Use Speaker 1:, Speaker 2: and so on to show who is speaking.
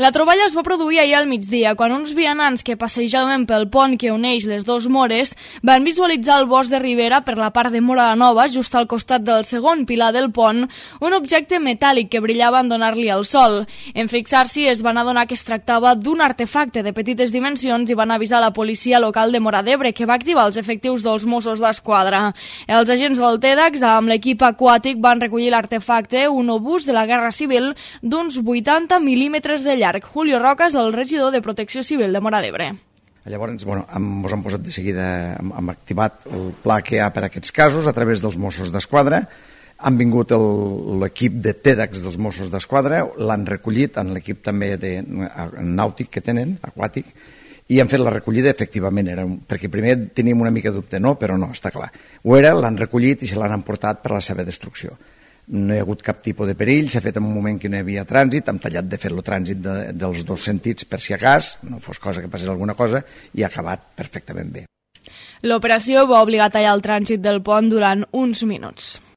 Speaker 1: La troballa es va produir ahir al migdia, quan uns vianants que passejaven pel pont que uneix les dues mores van visualitzar al bosc de Ribera, per la part de Mora la Nova, just al costat del segon pilar del pont, un objecte metàl·lic que brillava en donar-li el sol. En fixar-s'hi es van adonar que es tractava d'un artefacte de petites dimensions i van avisar la policia local de Móra d'Ebre, que va activar els efectius dels Mossos d'Esquadra. Els agents del TEDx, amb l'equip aquàtic, van recollir l'artefacte, un obús de la Guerra Civil d'uns 80 mil·límetres de llarg. Julio Roca és el regidor de Protecció Civil de Móra d'Ebre.
Speaker 2: Llavors, ens hem posat de seguida, hem activat el pla que hi ha per a aquests casos a través dels Mossos d'Esquadra. Han vingut l'equip de TEDx dels Mossos d'Esquadra, l'han recollit en l'equip també nàutic que tenen, aquàtic, i han fet la recollida, efectivament, perquè primer teníem una mica de dubte, no? Però no, està clar. Ho era, l'han recollit i se l'han emportat per a la seva destrucció. No hi ha hagut cap tipus de perill, s'ha fet en un moment que no hi havia trànsit, hem tallat de fer el trànsit dels dos sentits per si a cas, no fos cosa que passés alguna cosa, i ha acabat perfectament bé.
Speaker 1: L'operació va obligar a tallar el trànsit del pont durant uns minuts.